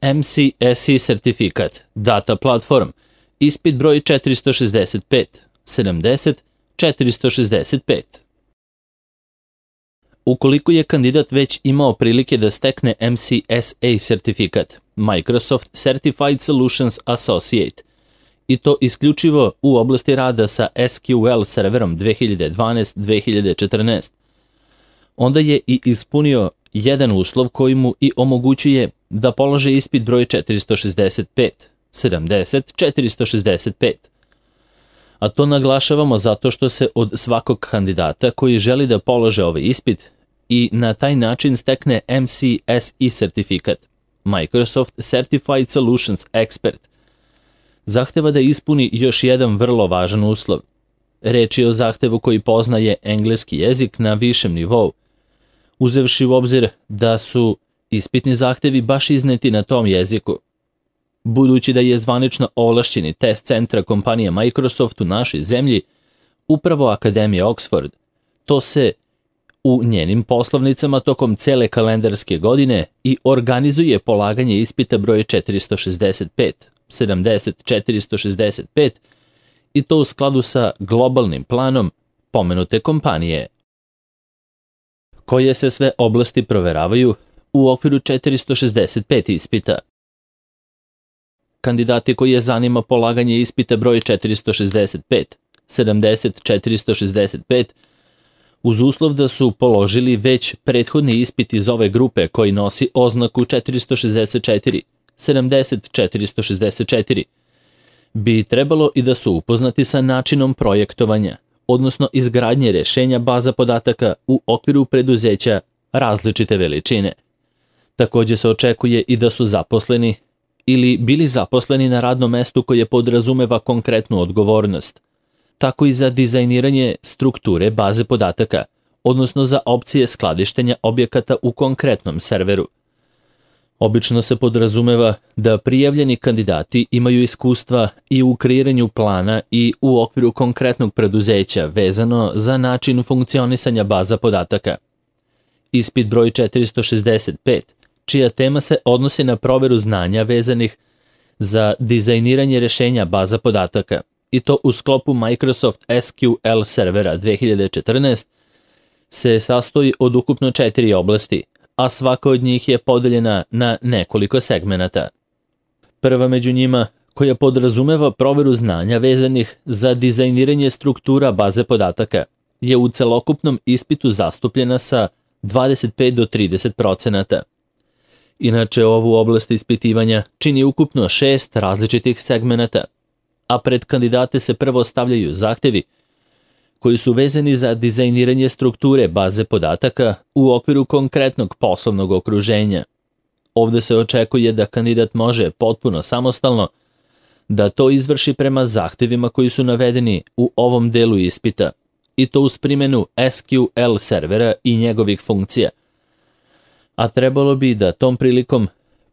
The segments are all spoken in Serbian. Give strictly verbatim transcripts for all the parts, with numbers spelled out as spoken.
M C S E sertifikat, Data Platform, ispit broj četiristo šezdeset pet, sedamdeset, četiristo šezdeset pet. Ukoliko je kandidat već imao prilike da stekne M C S A sertifikat, Microsoft Certified Solutions Associate, i to isključivo u oblasti rada sa S Q L serverom dve hiljade dvanaest do dve hiljade četrnaest, onda je i ispunio jedan uslov koji mu i omogućuje da položi ispit broj četiristo šezdeset pet, sedamdeset, četiristo šezdeset pet. A to naglašavamo zato što se od svakog kandidata koji želi da polože ovaj ispit i na taj način stekne M C S E sertifikat, Microsoft Certified Solutions Expert, zahteva da ispuni još jedan vrlo važan uslov. Reč je o zahtevu koji poznaje engleski jezik na višem nivou, uzevši u obzir da su ispitni zahtevi baš izneti na tom jeziku. Budući da je zvanično ovlašćeni test centra kompanije Microsoft u našoj zemlji upravo Akademija Oxford, to se u njenim poslovnicama tokom cele kalendarske godine i organizuje polaganje ispita broj četiristo šezdeset pet, sedamdeset, četiristo šezdeset pet i to u skladu sa globalnim planom pomenute kompanije. Koje se sve oblasti proveravaju u okviru četiristo šezdeset pet ispita? Kandidati koji je zanima polaganje ispita broj četiristo šezdeset pet, sedamdeset, četiristo šezdeset pet, uz uslov da su položili već prethodni ispit iz ove grupe koji nosi oznaku četiristo šezdeset četiri, sedamdeset, četiristo šezdeset četiri, bi trebalo i da su upoznati sa načinom projektovanja, odnosno izgradnje rešenja baza podataka u okviru preduzeća različite veličine. Takođe se očekuje i da su zaposleni ili bili zaposleni na radnom mestu koje podrazumeva konkretnu odgovornost, tako i za dizajniranje strukture baze podataka, odnosno za opcije skladištenja objekata u konkretnom serveru. Obično se podrazumeva da prijavljeni kandidati imaju iskustva i u kreiranju plana i u okviru konkretnog preduzeća vezano za način funkcionisanja baza podataka. Ispit broj četiristo šezdeset pet, čija tema se odnosi na proveru znanja vezanih za dizajniranje rešenja baza podataka, i to u sklopu Microsoft S Q L servera dve hiljade četrnaest, se sastoji od ukupno četiri oblasti, a svaka od njih je podeljena na nekoliko segmenata. Prva među njima, koja podrazumeva proveru znanja vezanih za dizajniranje struktura baze podataka, je u celokupnom ispitu zastupljena sa dvadeset pet do trideset procenata. Inače, ovu oblast ispitivanja čini ukupno šest različitih segmenata, a pred kandidate se prvo stavljaju zahtevi koji su vezani za dizajniranje strukture baze podataka u okviru konkretnog poslovnog okruženja. Ovde se očekuje da kandidat može potpuno samostalno da to izvrši prema zahtevima koji su navedeni u ovom delu ispita, i to uz primjenu S Q L servera i njegovih funkcija. A trebalo bi da tom prilikom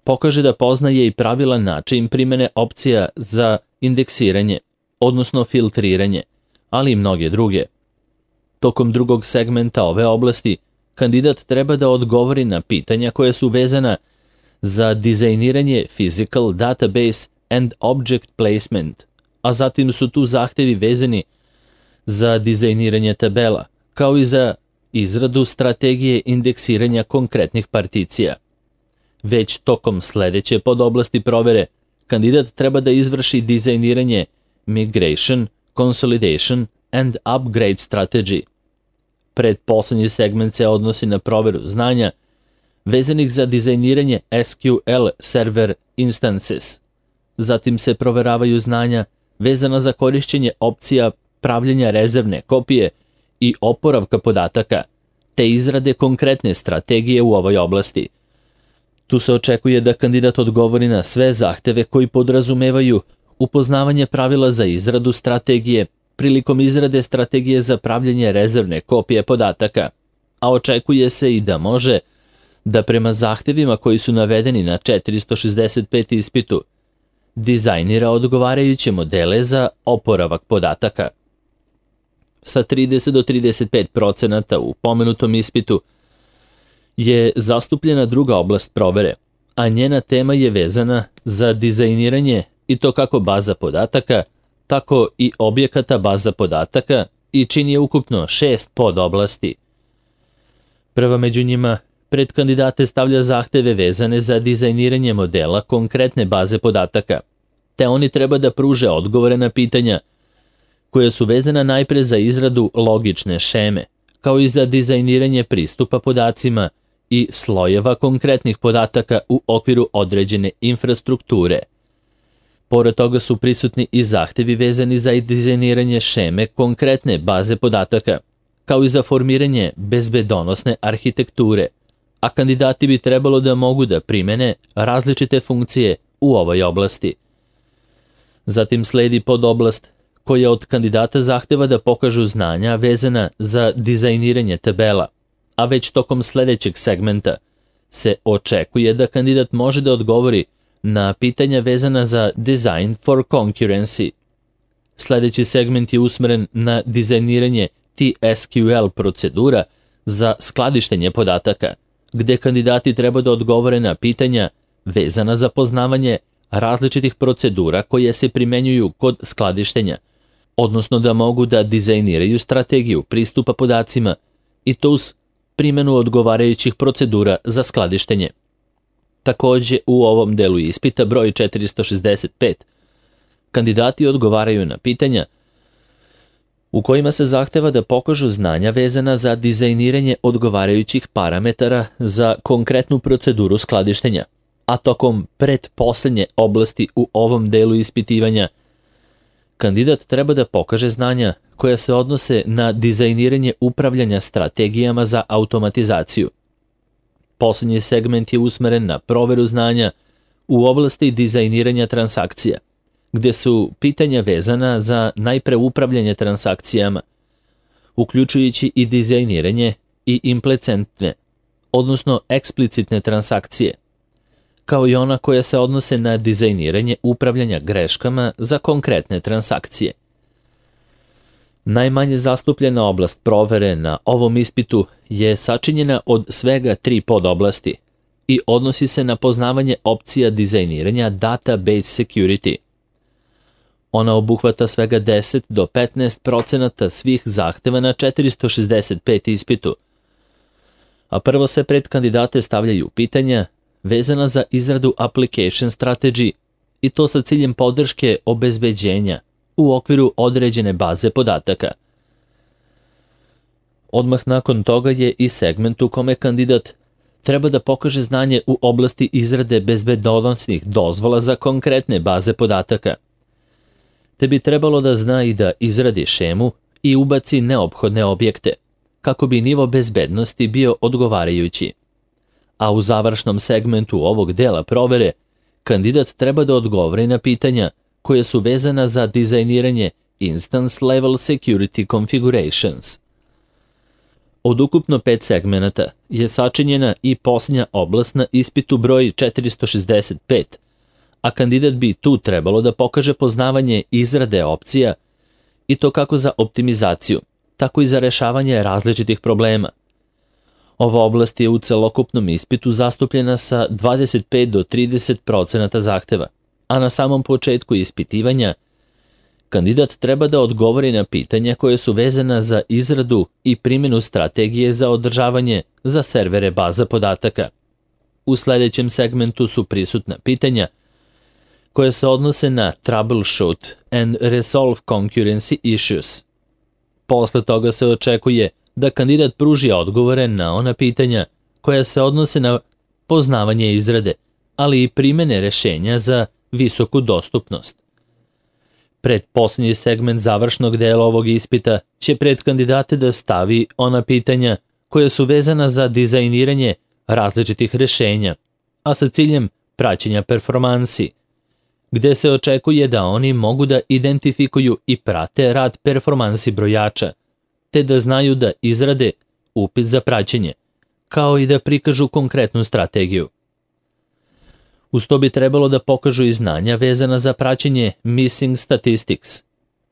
pokaže da poznaje i pravilan način primjene opcija za indeksiranje, odnosno filtriranje, ali i mnoge druge. Tokom drugog segmenta ove oblasti, kandidat treba da odgovori na pitanja koja su vezana za dizajniranje Physical Database and Object Placement, a zatim su tu zahtevi vezani za dizajniranje tabela, kao i za izradu strategije indeksiranja konkretnih particija. Već tokom sledeće podoblasti provere, kandidat treba da izvrši dizajniranje Migration, Consolidation and Upgrade Strategy. Predposlednji segment se odnosi na proveru znanja vezanih za dizajniranje S Q L Server Instances. Zatim se proveravaju znanja vezana za korišćenje opcija pravljenja rezervne kopije i oporavka podataka, te izrade konkretne strategije u ovoj oblasti. Tu se očekuje da kandidat odgovori na sve zahteve koji podrazumevaju upoznavanje pravila za izradu strategije prilikom izrade strategije za pravljenje rezervne kopije podataka, a očekuje se i da može da prema zahtevima koji su navedeni na četiristo šezdeset pet ispitu dizajnira odgovarajuće modele za oporavak podataka. Sa trideset do trideset pet procenata u pomenutom ispitu je zastupljena druga oblast provere, a njena tema je vezana za dizajniranje i to kako baza podataka, tako i objekata baza podataka i čini je ukupno šest podoblasti. Prva među njima pred kandidate stavlja zahteve vezane za dizajniranje modela konkretne baze podataka, te oni treba da pruže odgovore na pitanja koja su vezana najpre za izradu logične šeme, kao i za dizajniranje pristupa podacima i slojeva konkretnih podataka u okviru određene infrastrukture. Pored toga su prisutni i zahtevi vezani za dizajniranje šeme konkretne baze podataka, kao i za formiranje bezbedonosne arhitekture, a kandidati bi trebalo da mogu da primene različite funkcije u ovoj oblasti. Zatim sledi podoblast koja od kandidata zahteva da pokažu znanja vezana za dizajniranje tabela, a već tokom sledećeg segmenta se očekuje da kandidat može da odgovori na pitanja vezana za Design for Concurrency. Sledeći segment je usmeren na dizajniranje T S Q L procedura za skladištenje podataka, gde kandidati treba da odgovore na pitanja vezana za poznavanje različitih procedura koje se primenjuju kod skladištenja, odnosno da mogu da dizajniraju strategiju pristupa podacima i to uz primenu odgovarajućih procedura za skladištenje. Takođe, u ovom delu ispita broj četiristo šezdeset pet, kandidati odgovaraju na pitanja u kojima se zahteva da pokažu znanja vezana za dizajniranje odgovarajućih parametara za konkretnu proceduru skladištenja, a tokom pretposlednje oblasti u ovom delu ispitivanja kandidat treba da pokaže znanja koja se odnose na dizajniranje upravljanja strategijama za automatizaciju. Poslednji segment je usmeren na proveru znanja u oblasti dizajniranja transakcija, gde su pitanja vezana za najpre upravljanje transakcijama, uključujući i dizajniranje i implicentne, odnosno eksplicitne transakcije, kao i ona koja se odnose na dizajniranje upravljanja greškama za konkretne transakcije. Najmanje zastupljena oblast provere na ovom ispitu je sačinjena od svega tri podoblasti i odnosi se na poznavanje opcija dizajniranja database security. Ona obuhvata svega deset do petnaest procenata svih zahteva na četiristo šezdeset pet ispitu, a prvo se pred kandidate stavljaju pitanja vezana za izradu application strategy i to sa ciljem podrške obezbeđenja u okviru određene baze podataka. Odmah nakon toga je i segment u kome kandidat treba da pokaže znanje u oblasti izrade bezbedonosnih dozvola za konkretne baze podataka, te bi trebalo da zna i da izradi šemu i ubaci neophodne objekte, kako bi nivo bezbednosti bio odgovarajući. A u završnom segmentu ovog dela provere, kandidat treba da odgovori na pitanja koje su vezana za dizajniranje Instance Level Security Configurations. Od ukupno pet segmenata je sačinjena i posljednja oblast na ispitu broj četiristo šezdeset pet, a kandidat bi tu trebalo da pokaže poznavanje izrade opcija i to kako za optimizaciju, tako i za rešavanje različitih problema. Ova oblast je u celokupnom ispitu zastupljena sa dvadeset pet do trideset procenata zahteva, a na samom početku ispitivanja kandidat treba da odgovori na pitanja koje su vezana za izradu i primjenu strategije za održavanje za servere baza podataka. U sledećem segmentu su prisutna pitanja koje se odnose na troubleshoot and resolve concurrency issues. Posle toga se očekuje da kandidat pruži odgovore na ona pitanja koja se odnose na poznavanje izrade, ali i primene rešenja za visoku dostupnost. Pretposlednji segment završnog dela ovog ispita će pred kandidate da stavi ona pitanja koja su vezana za dizajniranje različitih rešenja, a sa ciljem praćenja performansi, gde se očekuje da oni mogu da identifikuju i prate rad performansi brojača, te da znaju da izrade upit za praćenje, kao i da prikažu konkretnu strategiju. Uz to bi trebalo da pokažu i znanja vezana za praćenje Missing Statistics.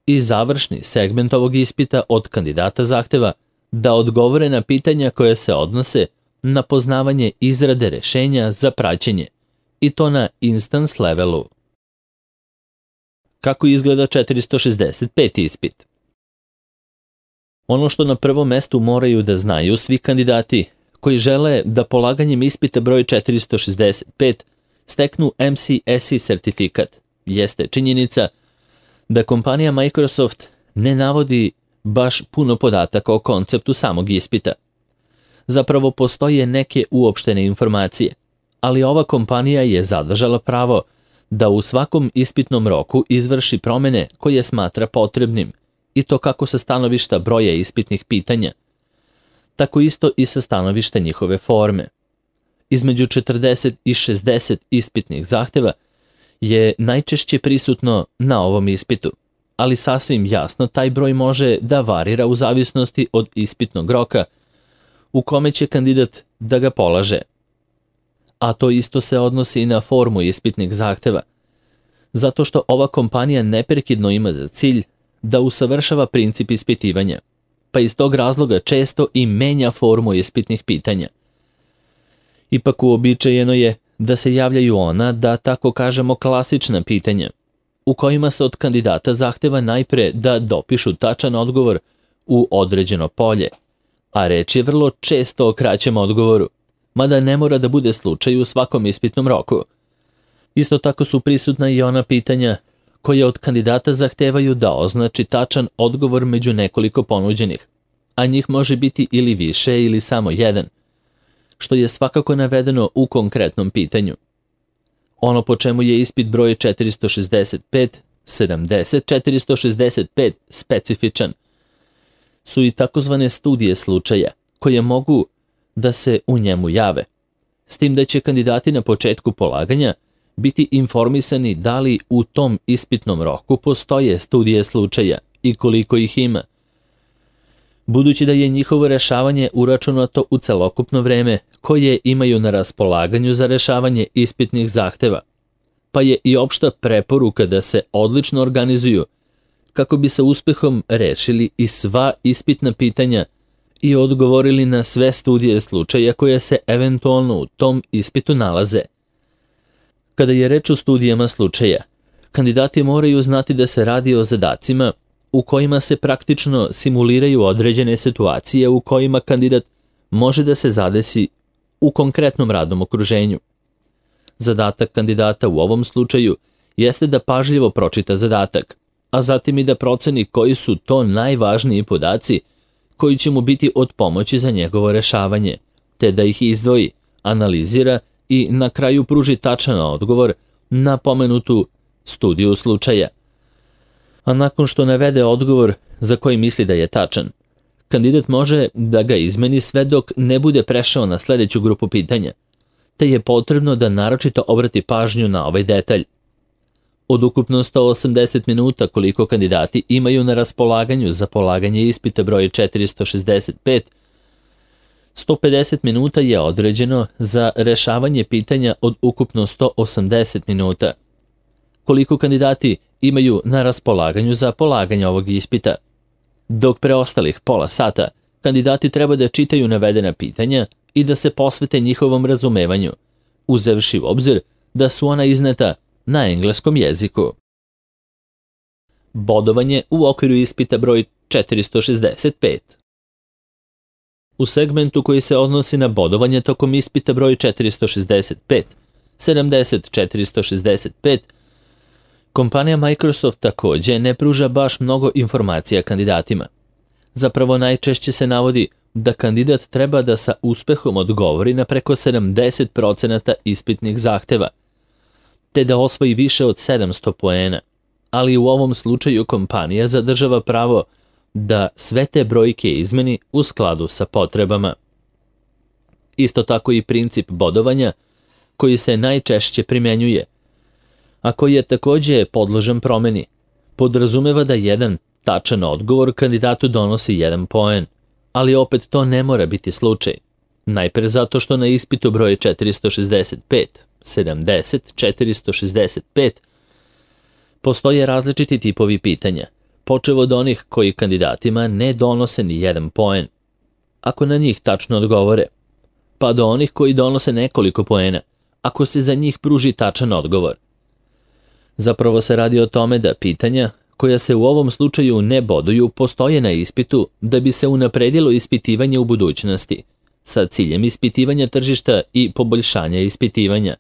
I završni segment ovog ispita od kandidata zahteva da odgovore na pitanja koje se odnose na poznavanje izrade rešenja za praćenje i to na instance levelu. Kako izgleda četiristo šezdeset peti ispit? Ono što na prvom mestu moraju da znaju svi kandidati koji žele da polaganjem ispita broj četiristo šezdeset pet steknu M C S E sertifikat, jeste činjenica da kompanija Microsoft ne navodi baš puno podataka o konceptu samog ispita. Zapravo postoje neke uopštene informacije, ali ova kompanija je zadržala pravo da u svakom ispitnom roku izvrši promene koje smatra potrebnim, i to kako sa stanovišta broja ispitnih pitanja, tako isto i sa stanovišta njihove forme. Između četrdeset i šezdeset ispitnih zahteva je najčešće prisutno na ovom ispitu, ali sasvim jasno taj broj može da varira u zavisnosti od ispitnog roka u kome će kandidat da ga polaže. A to isto se odnosi i na formu ispitnih zahteva, zato što ova kompanija neprekidno ima za cilj da usavršava princip ispitivanja, pa iz tog razloga često i menja formu ispitnih pitanja. Ipak uobičajeno je da se javljaju ona, da tako kažemo, klasična pitanja, u kojima se od kandidata zahteva najpre da dopišu tačan odgovor u određeno polje, a reč je vrlo često o kraćem odgovoru, mada ne mora da bude slučaj u svakom ispitnom roku. Isto tako su prisutna i ona pitanja koje od kandidata zahtevaju da označi tačan odgovor među nekoliko ponuđenih, a njih može biti ili više ili samo jedan, što je svakako navedeno u konkretnom pitanju. Ono po čemu je ispit broj četiristo šezdeset pet, sedamdeset, četiristo šezdeset pet specifičan su i takozvane studije slučaja, koje mogu da se u njemu jave, s tim da će kandidati na početku polaganja biti informisani da li u tom ispitnom roku postoje studije slučaja i koliko ih ima. Budući da je njihovo rešavanje uračunato u celokupno vreme koje imaju na raspolaganju za rešavanje ispitnih zahteva, pa je i opšta preporuka da se odlično organizuju kako bi sa uspehom rešili i sva ispitna pitanja i odgovorili na sve studije slučaja koje se eventualno u tom ispitu nalaze. Kada je reč o studijama slučaja, kandidati moraju znati da se radi o zadacima u kojima se praktično simuliraju određene situacije u kojima kandidat može da se zadesi u konkretnom radnom okruženju. Zadatak kandidata u ovom slučaju jeste da pažljivo pročita zadatak, a zatim i da proceni koji su to najvažniji podaci koji će mu biti od pomoći za njegovo rešavanje, te da ih izdvoji, analizira i na kraju pruži tačan odgovor na pomenutu studiju slučaja. A nakon što navede odgovor za koji misli da je tačan, kandidat može da ga izmeni sve dok ne bude prešao na sledeću grupu pitanja, te je potrebno da naročito obrati pažnju na ovaj detalj. Od ukupno sto osamdeset minuta koliko kandidati imaju na raspolaganju za polaganje ispita broj četiristo šezdeset pet, sto pedeset minuta je određeno za rešavanje pitanja od ukupno sto osamdeset minuta. Koliko kandidati imaju na raspolaganju za polaganje ovog ispita? Dok preostalih pola sata kandidati treba da čitaju navedena pitanja i da se posvete njihovom razumevanju, uzevši u obzir da su ona izneta na engleskom jeziku. Bodovanje u okviru ispita broj četiristo šezdeset pet. U segmentu koji se odnosi na bodovanje tokom ispita broj četiristo šezdeset pet, sedamdeset, četiristo šezdeset pet, kompanija Microsoft takođe ne pruža baš mnogo informacija kandidatima. Zapravo najčešće se navodi da kandidat treba da sa uspehom odgovori na preko sedamdeset procenata ispitnih zahteva, te da osvoji više od sedamsto poena, ali u ovom slučaju kompanija zadržava pravo da sve te brojke izmeni u skladu sa potrebama. Isto tako i princip bodovanja, koji se najčešće primenjuje, a koji je takođe podložan promeni, podrazumeva da jedan tačan odgovor kandidatu donosi jedan poen, ali opet to ne mora biti slučaj. Najpre zato što na ispitu broj četiristo šezdeset pet, sedamdeset, četiristo šezdeset pet postoje različiti tipovi pitanja, počev od onih koji kandidatima ne donose ni jedan poen, ako na njih tačno odgovore, pa do onih koji donose nekoliko poena, ako se za njih pruži tačan odgovor. Zapravo se radi o tome da pitanja, koja se u ovom slučaju ne boduju, postoje na ispitu da bi se unapredilo ispitivanje u budućnosti, sa ciljem ispitivanja tržišta i poboljšanja ispitivanja.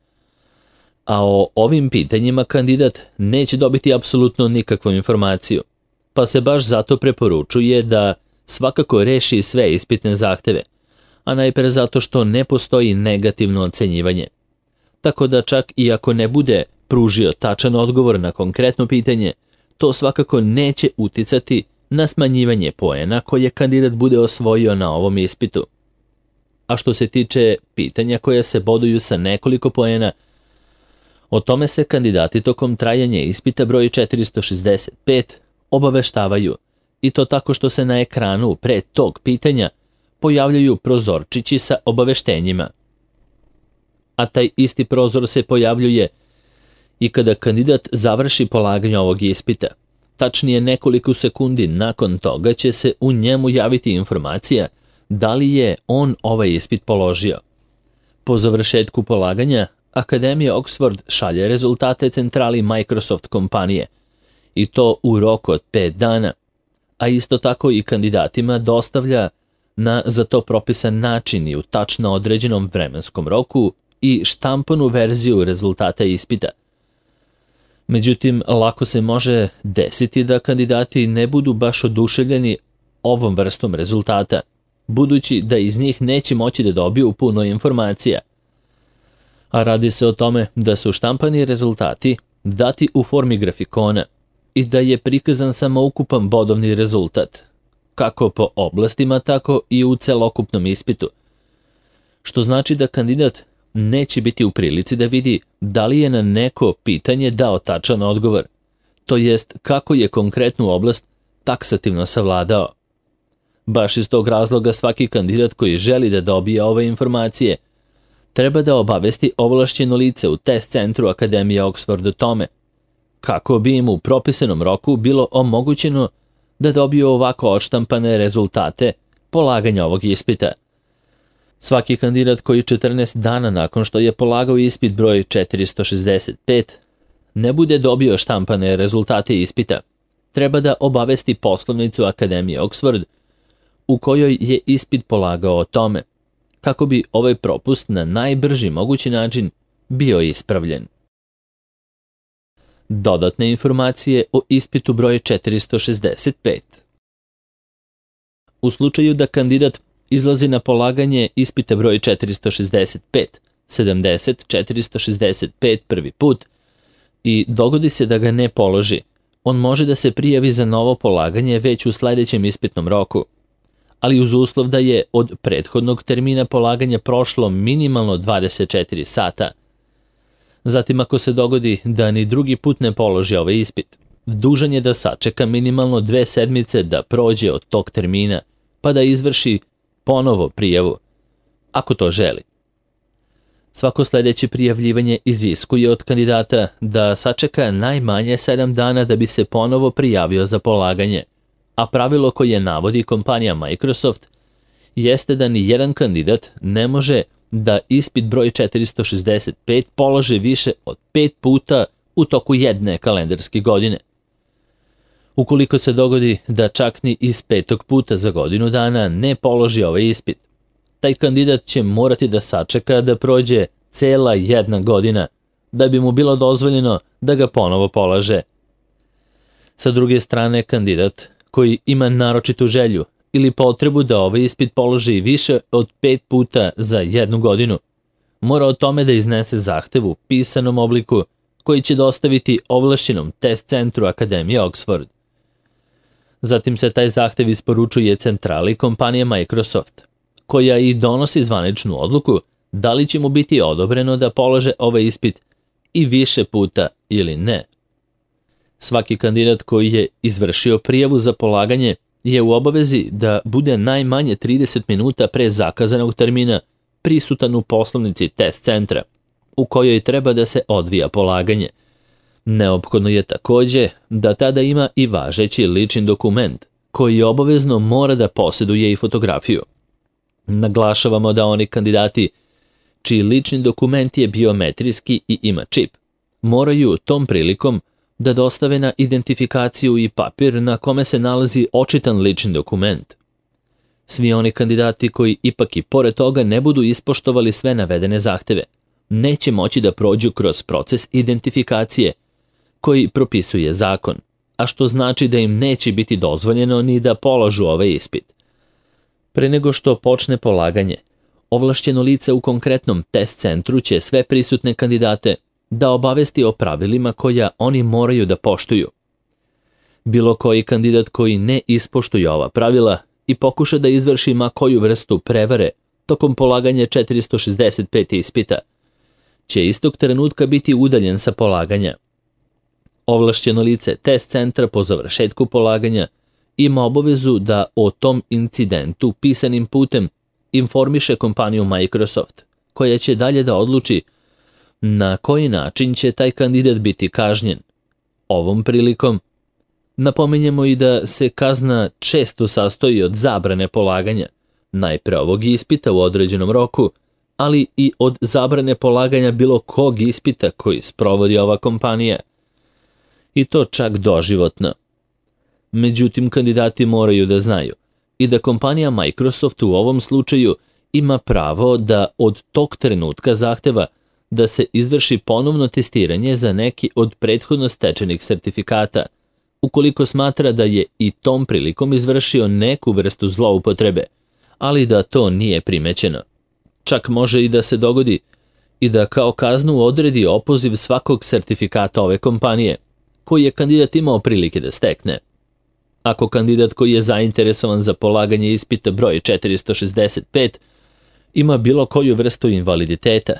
A o ovim pitanjima kandidat neće dobiti apsolutno nikakvu informaciju, pa se baš zato preporučuje da svakako reši sve ispitne zahteve, a najpre zato što ne postoji negativno ocenjivanje. Tako da čak i ako ne bude pružio tačan odgovor na konkretno pitanje, to svakako neće uticati na smanjivanje poena koje kandidat bude osvojio na ovom ispitu. A što se tiče pitanja koja se boduju sa nekoliko poena, o tome se kandidati tokom trajanja ispita broj četiristo šezdeset pet obaveštavaju, i to tako što se na ekranu pre tog pitanja pojavljaju prozorčići sa obaveštenjima. A taj isti prozor se pojavljuje i kada kandidat završi polaganje ovog ispita. Tačnije nekoliko sekundi nakon toga će se u njemu javiti informacija da li je on ovaj ispit položio. Po završetku polaganja, Akademija Oxford šalje rezultate centrali Microsoft kompanije, i to u roku od pet dana, a isto tako i kandidatima dostavlja na za to propisan način i u tačno određenom vremenskom roku i štampanu verziju rezultata ispita. Međutim, lako se može desiti da kandidati ne budu baš oduševljeni ovom vrstom rezultata, budući da iz njih neće moći da dobiju puno informacija. A radi se o tome da su štampani rezultati dati u formi grafikona i da je prikazan samo ukupan bodovni rezultat, kako po oblastima, tako i u celokupnom ispitu. Što znači da kandidat neće biti u prilici da vidi da li je na neko pitanje dao tačan odgovor, to jest kako je konkretnu oblast taksativno savladao. Baš iz tog razloga svaki kandidat koji želi da dobije ove informacije treba da obavesti ovlašćeno lice u test centru Akademije Oxford o tome, kako bi im u propisanom roku bilo omogućeno da dobiju ovako odštampane rezultate polaganja ovog ispita. Svaki kandidat koji četrnaest dana nakon što je polagao ispit broj četiristo šezdeset pet ne bude dobio štampane rezultate ispita, treba da obavesti poslovnicu Akademije Oxford u kojoj je ispit polagao o tome, kako bi ovaj propust na najbrži mogući način bio ispravljen. Dodatne informacije o ispitu broj četiristo šezdeset pet. U slučaju da kandidat izlazi na polaganje ispita broj četiristo šezdeset pet, sedamdeset, četiristo šezdeset pet prvi put i dogodi se da ga ne položi, on može da se prijavi za novo polaganje već u sledećem ispitnom roku, ali uz uslov da je od prethodnog termina polaganja prošlo minimalno dvadeset četiri sata. Zatim, ako se dogodi da ni drugi put ne položi ovaj ispit, dužan je da sačeka minimalno dve sedmice da prođe od tog termina, pa da izvrši ponovo prijavu, ako to želi. Svako sledeće prijavljivanje iziskuje od kandidata da sačeka najmanje sedam dana da bi se ponovo prijavio za polaganje, a pravilo koje navodi kompanija Microsoft jeste da ni jedan kandidat ne može da ispit broj četiristo šezdeset pet položi više od pet puta u toku jedne kalendarske godine. Ukoliko se dogodi da čak ni iz petog puta za godinu dana ne položi ovaj ispit, taj kandidat će morati da sačeka da prođe cela jedna godina da bi mu bilo dozvoljeno da ga ponovo polaže. Sa druge strane, kandidat koji ima naročitu želju ili potrebu da ovaj ispit položi više od pet puta za jednu godinu, mora o tome da iznese zahtev u pisanom obliku koji će dostaviti ovlašćenom test centru Akademije Oxford. Zatim se taj zahtev isporučuje centrali kompanije Microsoft, koja i donosi zvaničnu odluku da li će mu biti odobreno da polože ovaj ispit i više puta ili ne. Svaki kandidat koji je izvršio prijavu za polaganje je u obavezi da bude najmanje trideset minuta pre zakazanog termina prisutan u poslovnici test centra, u kojoj treba da se odvija polaganje. Neophodno je takođe da tada ima i važeći lični dokument, koji obavezno mora da posjeduje i fotografiju. Naglašavamo da oni kandidati čiji lični dokument je biometrijski i ima čip, moraju tom prilikom da dostave na identifikaciju i papir na kome se nalazi očitan lični dokument. Svi oni kandidati koji ipak i pored toga ne budu ispoštovali sve navedene zahteve, neće moći da prođu kroz proces identifikacije koji propisuje zakon, a što znači da im neće biti dozvoljeno ni da polažu ovaj ispit. Pre nego što počne polaganje, ovlašćeno lice u konkretnom test centru će sve prisutne kandidate da obavesti o pravilima koja oni moraju da poštuju. Bilo koji kandidat koji ne ispoštuje ova pravila i pokuša da izvrši ma koju vrstu prevare tokom polaganja četiristo šezdeset pet ispita, će istog trenutka biti udaljen sa polaganja. Ovlašćeno lice test centra po završetku polaganja ima obavezu da o tom incidentu pisanim putem informiše kompaniju Microsoft, koja će dalje da odluči na koji način će taj kandidat biti kažnjen. Ovom prilikom napominjemo i da se kazna često sastoji od zabrane polaganja, najpre ovog ispita u određenom roku, ali i od zabrane polaganja bilo kog ispita koji sprovodi ova kompanija. I to čak doživotno. Međutim, kandidati moraju da znaju i da kompanija Microsoft u ovom slučaju ima pravo da od tog trenutka zahteva da se izvrši ponovno testiranje za neki od prethodno stečenih sertifikata, ukoliko smatra da je i tom prilikom izvršio neku vrstu zloupotrebe, ali da to nije primećeno. Čak može i da se dogodi i da kao kaznu odredi opoziv svakog sertifikata ove kompanije, koji je kandidat imao prilike da stekne. Ako kandidat koji je zainteresovan za polaganje ispita broj četiristo šezdeset pet ima bilo koju vrstu invaliditeta,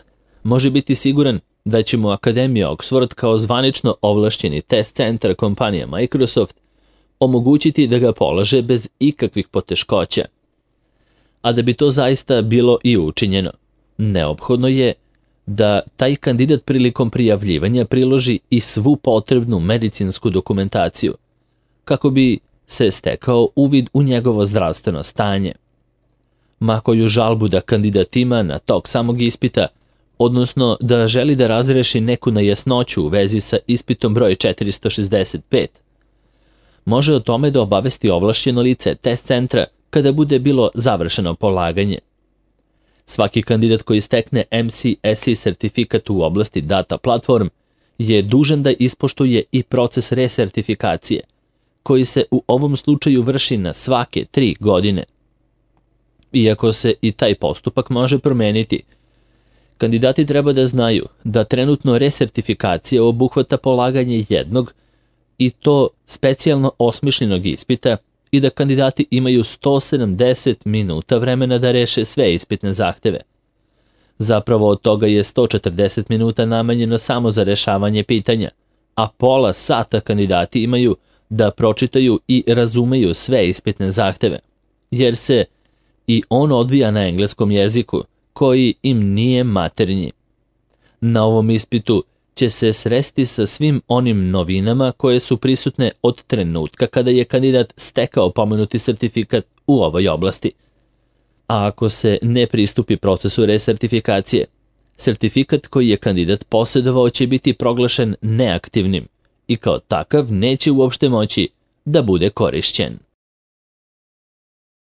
može biti siguran da će mu Akademija Oxford kao zvanično ovlašćeni test centar kompanija Microsoft omogućiti da ga polaže bez ikakvih poteškoća. A da bi to zaista bilo i učinjeno, neophodno je da taj kandidat prilikom prijavljivanja priloži i svu potrebnu medicinsku dokumentaciju, kako bi se stekao uvid u njegovo zdravstveno stanje. Ma koju žalbu da kandidat ima na tok samog ispita, odnosno da želi da razreši neku nejasnoću u vezi sa ispitom broj četiristo šezdeset pet, može o tome da obavesti ovlašćeno lice test centra kada bude bilo završeno polaganje. Svaki kandidat koji stekne M C S E sertifikat u oblasti data platform je dužan da ispoštuje i proces resertifikacije, koji se u ovom slučaju vrši na svake tri godine. Iako se i taj postupak može promeniti, kandidati treba da znaju da trenutno resertifikacija obuhvata polaganje jednog i to specijalno osmišljenog ispita i da kandidati imaju sto sedamdeset minuta vremena da reše sve ispitne zahteve. Zapravo od toga je sto četrdeset minuta namenjeno samo za rešavanje pitanja, a pola sata kandidati imaju da pročitaju i razumeju sve ispitne zahteve, jer se i on odvija na engleskom jeziku, koji im nije maternji. Na ovom ispitu će se sresti sa svim onim novinama koje su prisutne od trenutka kada je kandidat stekao pomenuti sertifikat u ovoj oblasti. A ako se ne pristupi procesu resertifikacije, sertifikat koji je kandidat posjedovao će biti proglašen neaktivnim i kao takav neće uopšte moći da bude korišćen.